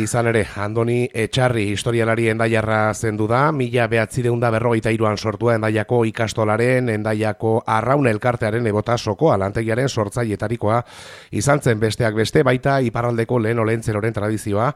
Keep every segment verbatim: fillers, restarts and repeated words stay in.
Izan ere, Andoni Etxarri historialari endaiarra zendu da, mila behatzireun da berrogeita hiruan sortua Endaiako ikastolaren, Endaiako arraun elkartearen ebota sokoa lantegiaren sortzailetarikoa izan zen besteak beste, baita iparraldeko lehen olentzeroren tradizioa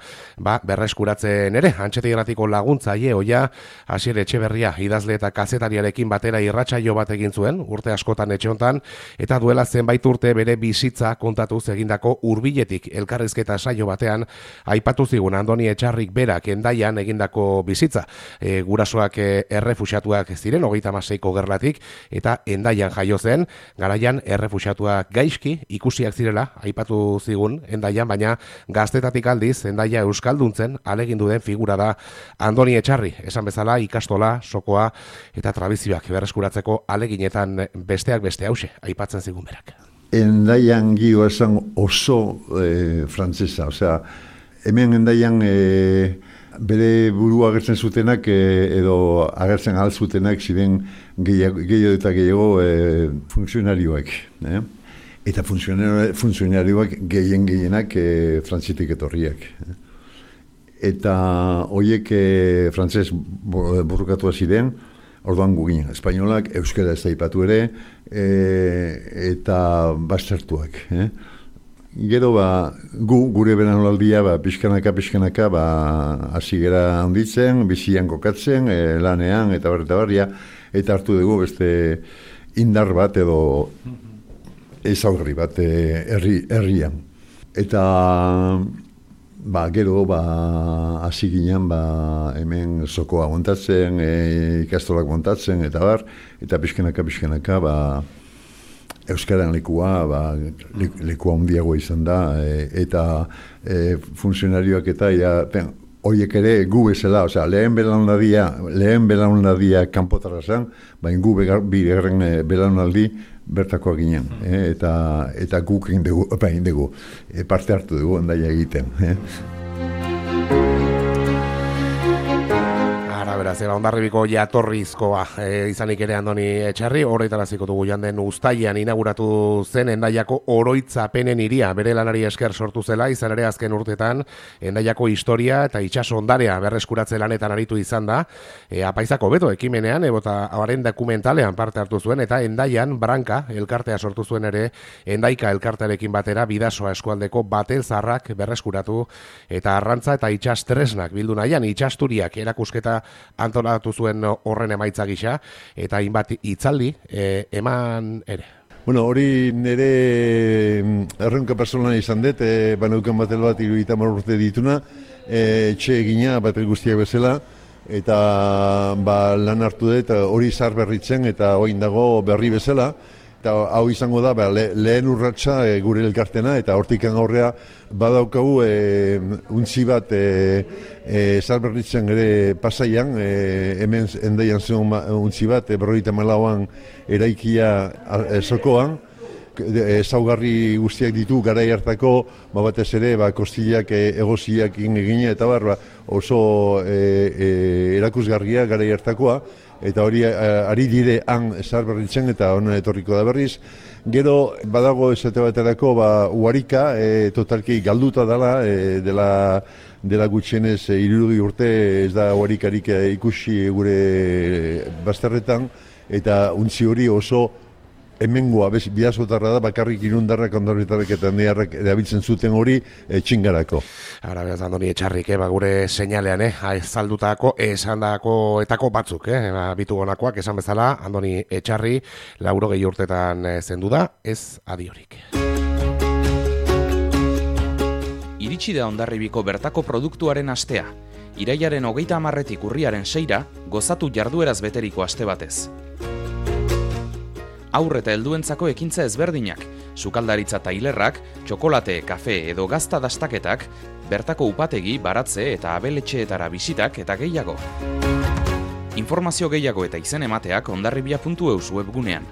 ba, berreskuratzen ere, Antxetegratiko laguntzaile oia Asier Etxeberria idazle eta kazetariarekin batera irratsaio bat egin zuen, urte askotan etxe hontan, eta duela zenbait urte bere bizitza kontatuz egindako hurbiletik elkarrizketa saio batean aipatu zigun Andoni Etxarrik berak Endaian egindako bizitza. E, gurasoak e, errefuxiatuak ziren, hogeita hamaseiko gerlatik, eta Endaian jaio zen, garaian errefuxiatuak gaizki ikusiak zirela, aipatu zigun Endaian, baina gaztetatik aldiz Endaia euskalduntzen alegindu den figura da Andoni Etxarri, esan bezala ikastola, sokoa eta tradizioak berreskuratzeko aleginetan besteak beste hause, aipatzen zigun berak. Endaian gio esan oso e, frantzesa, osea, hemen Endaian e, bere burua agertzen zutenak e, edo agertzen ahal zutenak ziren gehiago eta gehiago e, funtzionarioak. Eh? Eta funtzionarioak gehien gehienak e, frantzitik etorriak. Eh? Eta horiek e, frantzez burrukatua ziren, orduan gugin, espainolak, euskara ez da ipatu ere, e, eta bastertuak. Eh? Gero, ba, gu, gure belaunaldia, ba, pixkanaka, pixkanaka, ba, hasi gera handitzen, bizian kokatzen, e, lanean, eta bar, eta barria, eta hartu dugu beste indar bat edo ezaugarri bat e, herri, herrian. Eta, ba, gero, ba, hasi ginen, ba, hemen sokoa montatzen, e, ikastolak montatzen, eta bar, eta pixkanaka, pixkanaka, ba, euskaran lekua, ba, lekua handiagoa izan da, e, eta e, funtzionarioak eta ja, ben, horiek ere gu bezala, osea, lehen belaunaldia, lehen belaunaldia kanpotara zen, baina gu bigarren belaunaldi bertakoa ginen, eh, eta, eta guk egin dugu, egin dugu, e, parte hartu dugu Endaia egiten. Eh. Beraz, eba, Hondarribiko jatorrizkoa e, izanik ere Andoni Etxarri, horretaraziko dugu janden uztailean inauguratu zen Endaiako oroitzapenen hiria, bere lanari esker sortu zela, izan ere azken urtetan Endaiako historia eta itsaso ondarea berreskuratze lanetan aritu izan da, e, apaizako beto ekimenean, ebota haren dokumentalean parte hartu zuen, eta Endaian Branka elkartea sortu zuen ere, Endaika elkartearekin batera bidasoa eskualdeko batel zarrak berreskuratu, eta arrantza eta itsas tresnak bildu nahian, itsasturiak erakusketa antolatu zuen horren emaitza gisa, eta hainbat hitzaldi e, eman ere. Bueno, hori nire erronka personala izan dut, e, baneukan batel bat hirurogeita hamar urte dituna, e, etxe egina batel guztiak bezala, eta ba, lan hartu dut hori zar berritzen eta orain dago berri bezala, eta hau izango da ba, le, lehen urratsa e, gure elkartena, eta hortikan aurrea badaukagu e, untzi bat e, e, zalberritzen ere Pasaian, e, hemen Endaian zen untzi bat, e, berrogeita hamalauan eraikia e, sokoan, ezaugarri guztiak ditu garai hartako, ba batez ere, ba kostillak e, egoziak egina eta bar, ba, oso e, e, erakusgarria garai hartakoa, eta hori ari dire han zalberritzen eta honen etorriko da berriz. Gero badago esate baterako ba Uharika, e, totalki galduta dela, e, dela dela gutxienez e, hirurogei urte ez da Uharikarik e, ikusi gure bazterretan, eta untzi hori oso hemengoa, bidazotarra da, bakarrik Irundarrak, Ondorritarrak eta Endiarrak erabiltzen zuten hori e, txingarako. Ara, beraz, Andoni Etxarrik, eh, ba, gure seinalean, eh, azaldutako, esandako etako batzuk, eh, ba, bitugonakoak, esan bezala, Andoni Etxarri, laurogei urtetan eh, zendu da, ez adiorik. Iritsi da Hondarribiko bertako produktuaren astea. Irailaren hogeita hamarretik urriaren seira, gozatu jardueraz beteriko aste batez. Aur eta helduentzako ekintza ezberdinak, sukaldaritza tailerrak, txokolate, kafe edo gazta dastaketak, bertako upategi, baratze eta abeletxeetara bisitak eta gehiago. Informazio gehiago eta izen emateak hondarribia puntu eus webgunean.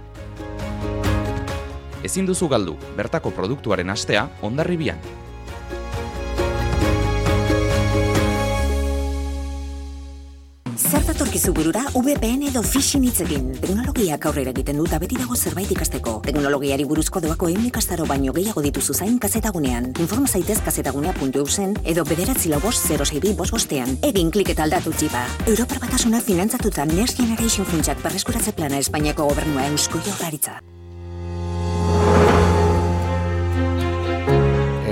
Ezin duzu galdu, bertako produktuaren astea Hondarribian. Zer dakizu burura V P N edo phishing hitzekin. Teknologiak aurrera egiten dut beti dago zerbait ikasteko. Teknologiari buruzko doako ehun ikastaro baino gehiago dituzu zain kazetagunean. Informa zaitez kazetagunea puntu eusen edo bederatzi lau bost zero sei bi bost bostean. Egin klik eta aldatu txipa. Europar Batasuna finantzatuta Next Generation funtsak berreskuratze plana Espainiako gobernua Eusko Jaurlaritza.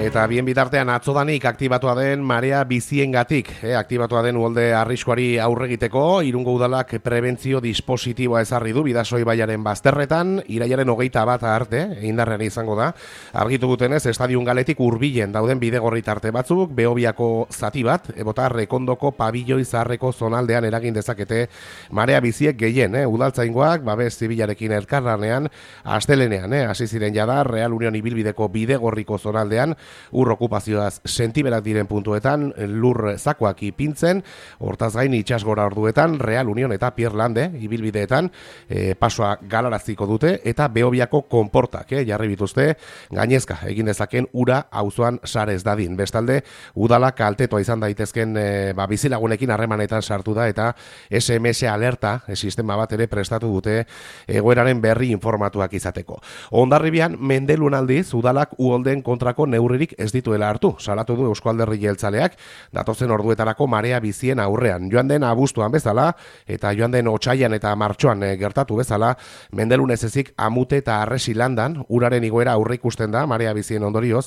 Eta bien bitartean atzodanik aktibatua den marea biziengatik, eh, aktibatua den uholde arriskuari aurregiteko, Irungo Udalak prebentzio dispositiboa ezarri du Bidasoi baiaren bazterretan, irailaren hogeita bat arte, indarrean izango da. Argitu dutenez, estadion galetik hurbilen dauden bidegorri tarte batzuk, Behobiako zati bat, ebota Rekondoko pabilloi zaharreko zonaldean eragin dezakete marea biziek gehien, eh, udaltzaingoak, babes zibilarekin elkarlanean, astelenean, eh, hasi ziren jada, Real Union ibilbideko bidegorriko zonaldean, ur okupazioaz sentiberak diren puntuetan, lur zakoak ipintzen, hortaz gain itsasgora orduetan, Real Union eta Pierlande ibilbideetan e, pasoa galaraziko dute, eta Behobiako konportak e, jarri bituzte, gainezka egin dezaken ura auzoan sarez dadin. Bestalde, udala kaltetoa izan daitezken e, ba, bizilagunekin harremanetan sartu da, eta S M S alerta e, sistema bat ere prestatu dute egoeraren berri informatuak izateko. Hondarribian, Mendelun aldiz, udalak uholden kontrako neurririk ez dituela hartu, salatu du Eusko Alderdi Jeltzaleak, datozen orduetarako marea bizien aurrean. Joan den abuztuan bezala, eta joan den otsaian eta martxoan e, gertatu bezala, Mendelun ez ezik amute eta arresi landan, uraren igoera aurre ikusten da, marea bizien ondorioz,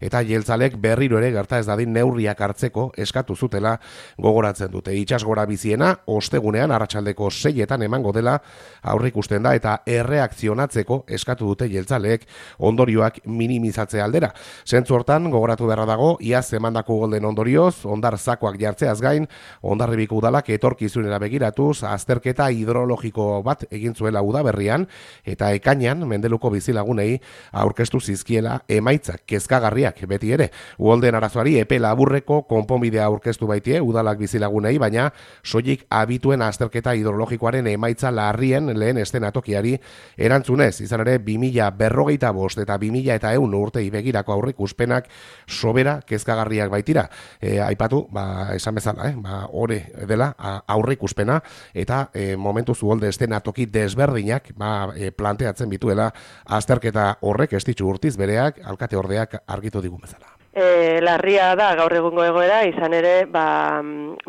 eta Jeltzalek berriro ere gerta ez dadin neurriak hartzeko eskatu zutela gogoratzen dute. Itsasgora biziena, ostegunean, arratsaldeko seietan emango dela aurre ikusten da, eta erreakzionatzeko eskatu dute Jeltzaleek ondorioak minimizatzea aldera. Zentzu hortan, gogoratu beharra dago, iaz emandako golden ondorioz, ondar zakoak jartzeaz gain, Hondarribiko udalak etorkizunera begiratuz, azterketa hidrologiko bat egin zuela udaberrian, eta ekainean, Mendeluko bizilagunei aurkeztu zizkiela emaitzak kezkagarriak beti ere. Uholden arazoari epe laburreko konponbidea aurkeztu baitie udalak bizilagunei, baina soilik abituen azterketa hidrologikoaren emaitza larrien lehen estenatokiari erantzunez, izan ere bi mila berrogeita bost eta bi mila eta ehun urtei begirako aurreikuspenak sobera kezkagarriak baitira. E, aipatu, ba, esan bezala, eh? ba, ore dela aurreikuspena, eta e, momentu zuholde estenatoki desberdinak ba, e, planteatzen bituela azterketa horrek estitxu urtiz bereak, alkate ordeak argitu digun bezala. E, larria da gaur egungo egoera, izan ere ba,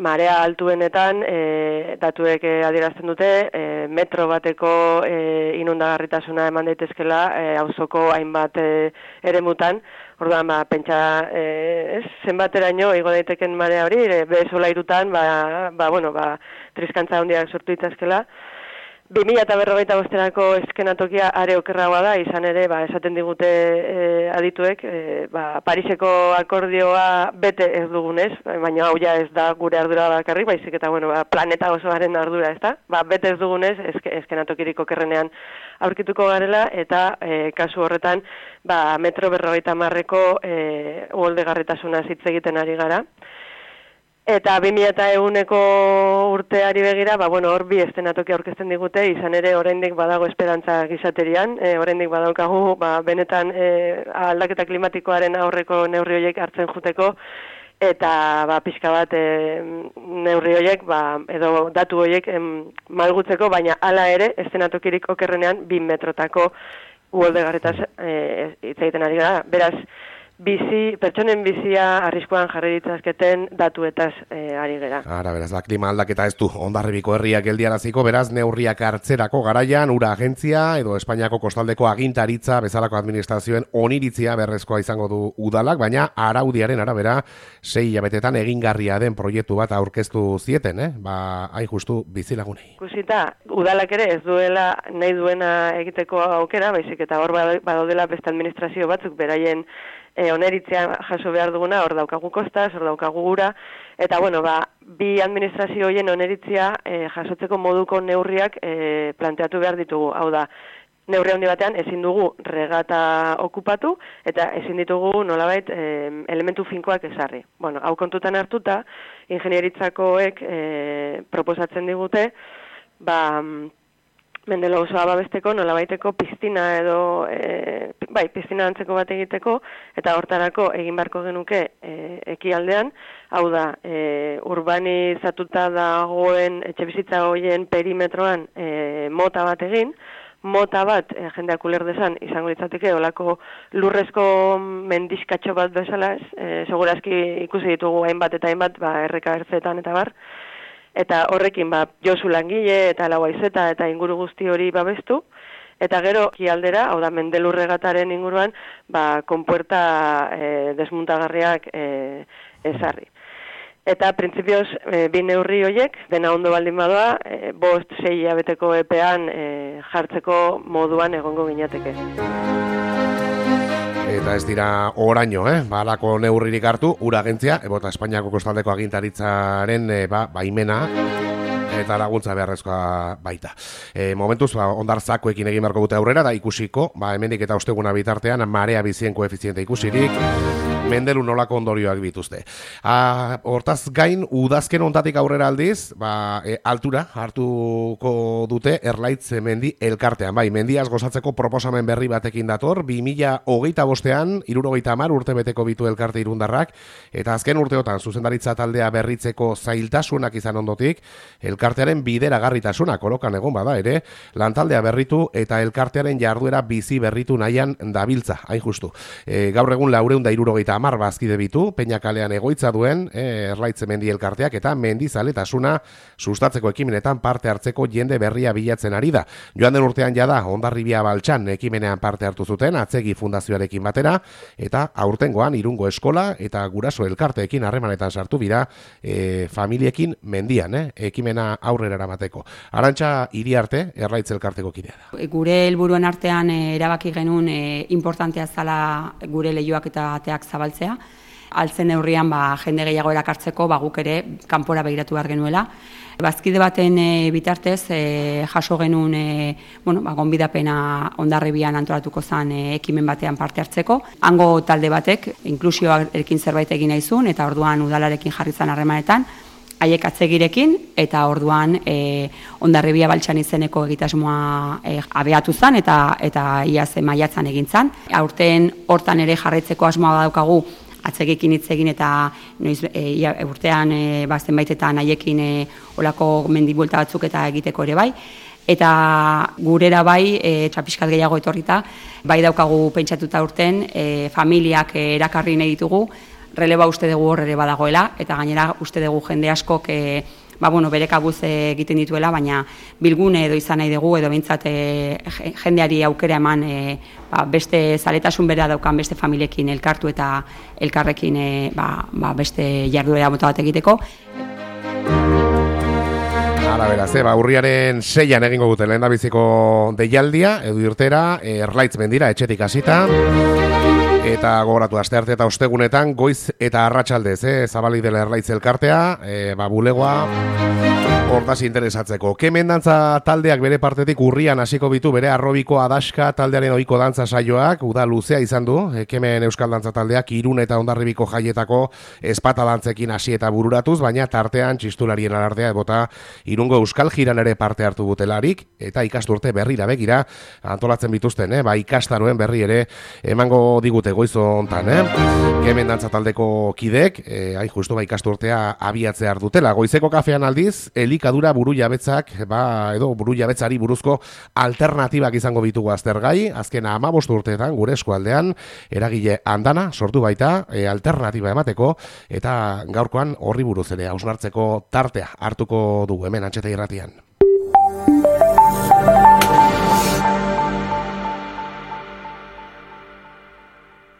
marea altuenetan e, datuek e, adierazten dute e, metro bateko e, inundagarritasuna eman daitezkela e, auzoko hainbat e, eremutan. Orduan, ba, pentsa e, ez, zenbateraino igo daiteken marea hori, e, behezola irutan, ba, ba, bueno, ba, triskantza handiak sortu ditzazkela. bi mila eta berrogeita bosterako eskenatokia are okerragoa da, izan ere, ba, esaten digute e, adituek, e, ba, Pariseko akordioa bete ez dugunez, baina hau ja ez da gure ardura bakarrik, baizik eta bueno, ba, planeta osoaren ardura, ez da? Ba, bete ez dugunez, eske, eskenatokirik okerrenean aurkituko garela, eta e, kasu horretan, ba, metro berrogeita marreko e, uholdegarritasuna hitz egiten ari gara. Eta bi mila eta ehuneko urteari begira, ba, bueno, hor bi estenatoki aurkezten digute, izan ere oraindik badago esperantza gizaterian, e, oraindik badaukagu, ba, benetan e, aldaketa klimatikoaren aurreko neurri horiek hartzen juteko, eta ba, pixka bat e, neurri horiek, ba, edo datu horiek em, malgutzeko, baina hala ere, estenatokirik okerrenean, bi metrotako uholdegarritaz e, hitz egiten ari gara. Beraz, bizi, pertsonen bizia arriskuan jarri ditzazketen datuetaz e, ari gera. Ara, beraz, da, klima aldaketa ez du Hondarribiko herriak geldiaraziko, beraz, neurriak hartzerako garaian, ura agentzia, edo Espainiako kostaldeko agintaritza, bezalako administrazioen oniritzia berrezkoa izango du udalak, baina araudiaren arabera, sei hilabetetan egingarria den proiektu bat aurkeztu zieten, eh? Ba, hain justu bizilagunei. Ikusita, udalak ere ez duela nahi duena egiteko aukera, baizik eta hor badaudela beste administrazio batzuk beraien E, oneritzea jaso behar duguna, hor daukagu kostaz, hor daukagu gura, eta bueno, ba, bi administrazio horien oneritzea e, jasotzeko moduko neurriak e, planteatu behar ditugu. Hau da, neurri handi batean ezin dugu regata okupatu, eta ezin ditugu nolabait e, elementu finkoak ezarri. Bueno, hau kontutan hartuta, ingenieritzakoek e, proposatzen digute, ba, Mendelo osoa babesteko, nolabaiteko piztina edo, e, bai, piztina antzeko bat egiteko, eta hortarako egin beharko genuke e, ekialdean, hau da, e, urbanizatuta dagoen etxebizitza horien perimetroan e, mota bat egin, mota bat, e, jendeak uler desan, izango litzateke, olako lurrezko mendiskatxo bat bezala, e, segurazki ikusi ditugu hainbat eta hainbat, ba, erreka ertzetan eta bar, eta horrekin ba, Josu langile eta Lauaizeta eta inguru guzti hori babestu, eta gero ekialdera, hau da Mendelurregataren inguruan, ba, konpuerta e, desmuntagarriak e, ezarri. Eta printzipioz, e, bi neurri horiek, dena ondo baldin badoa, e, bost sei hilabeteko epean e, jartzeko moduan egongo ginateke. Eta ez dira oraino, eh? Balako neurririk hartu, ura agentzia, ebota Espainiako kostaldeko agintaritzaren e, ba, baimena eta laguntza beharrezkoa baita. E, momentuz, ba, ondartzakoekin egin beharko dute aurrera, da ikusiko, ba, hemendik eta osteguna bitartean, marea bizien koefiziente ikusirik, Mendelu nolako ondorioak bituzte. A, hortaz gain, udazken ontatik aurrera aldiz, ba, e, altura hartuko dute Erlaitz mendi elkartean. Bai, mendiaz gozatzeko proposamen berri batekin dator, bi mila hogeita bostean, hirurogeita hamar urte beteko bitu elkarte irundarrak, eta azken urteotan zuzendaritza taldea berritzeko zailtasunak izan ondotik, elkartearen bideragarritasuna kolokan egon bada ere, lantaldea berritu eta elkartearen jarduera bizi berritu nahian dabiltza, hain justu. E, gaur egun laureun da hirurogeita hamar bazkide bitu, Peñakalean egoitza duen e, Erlaitz mendi elkarteak eta mendizaletasuna sustatzeko ekimenetan parte hartzeko jende berria bilatzen ari da. Joan den urtean jada Hondarribia Baltsan ekimenean parte hartu zuten Atzegi Fundazioarekin batera eta aurtengoan Irungo Eskola eta Guraso elkarteekin harremanetan sartu bira e, familiekin mendian, eh, ekimena aurrera eramateko. Arantxa Iriarte Erlaitz elkarteko kidea da. Gure helburuen artean e, erabaki genuen e, importantea zala gure leihoak eta ateak zabaltzea. Altzen neurrian ba, jende gehiago erakartzeko ba, guk ere kanpora begiratu behar genuela. Bazkide baten e, bitartez e, jaso genuen e, bueno, ba, gonbidapena Hondarribian antolatuko zen e, ekimen batean parte hartzeko. Hango talde batek inklusioarekin zerbait egin nahi zuen eta orduan udalarekin jarri zen harremanetan. Haiek atzegirekin eta orduan e, Hondarribia Baltsan izeneko egitasmoa e, abeatu zen eta eta iaz maiatzan egin zen. Aurten hortan ere jarraitzeko asmoa daukagu atzegekin hitz egin eta noiz e, urtean e, ba, zenbaitetan haiekin e, olako mendibuelta batzuk eta egiteko ere bai. Eta gurera bai, e, txapiskat gehiago etorrita, bai daukagu pentsatuta urten, e, familiak e, erakarri nahi ditugu, releba uste dugu hor ere badagoela, eta gainera uste dugu jende askok e, ba, bueno, bere kabuz egiten dituela, baina bilgune edo izan nahi dugu, edo behintzat e, jendeari aukera eman e, ba, beste zaletasun bera daukan beste familiekin elkartu eta elkarrekin e, ba, ba, beste jarduera mota bat egiteko. Hala beraz, eh, ba, urriaren seian egingo dute lehendabiziko deialdia, edo irtera, Erlaitz mendira, etxetik hasita. Eta gogoratu, astearte eta ostegunetan, goiz eta arratsaldez, eh, zabalik dela Erlaitz elkartea, eh, ba, bulegoa, hortaz interesatzeko. Kemen dantza taldeak bere partetik urrian hasiko bitu bere arrobiko adaska taldearen ohiko dantza saioak, uda luzea izan du, eh, Kemen euskal dantza taldeak Irun eta Hondarribiko jaietako espata dantzekin hasi eta bururatuz, baina tartean txistularien alardea ebota Irungo euskal jiran ere parte hartu butelarik, eta ikasturte berrira begira antolatzen bituzten, eh, ba, ikastaroen berri ere emango digute goizo hontan, eh? Kemen dantza taldeko kidek, eh, hain justu ba ikasturtea abiatzea dutela. Goizeko kafean aldiz, elikadura buru jabetzak, ba, edo buru jabetzari buruzko alternatibak izango bitugu aztergai, azken hamabost urteetan gure eskualdean eragile andana sortu baita e, alternatiba emateko, eta gaurkoan horri buruz ere hausnartzeko tartea hartuko dugu hemen Antxeta Irratian.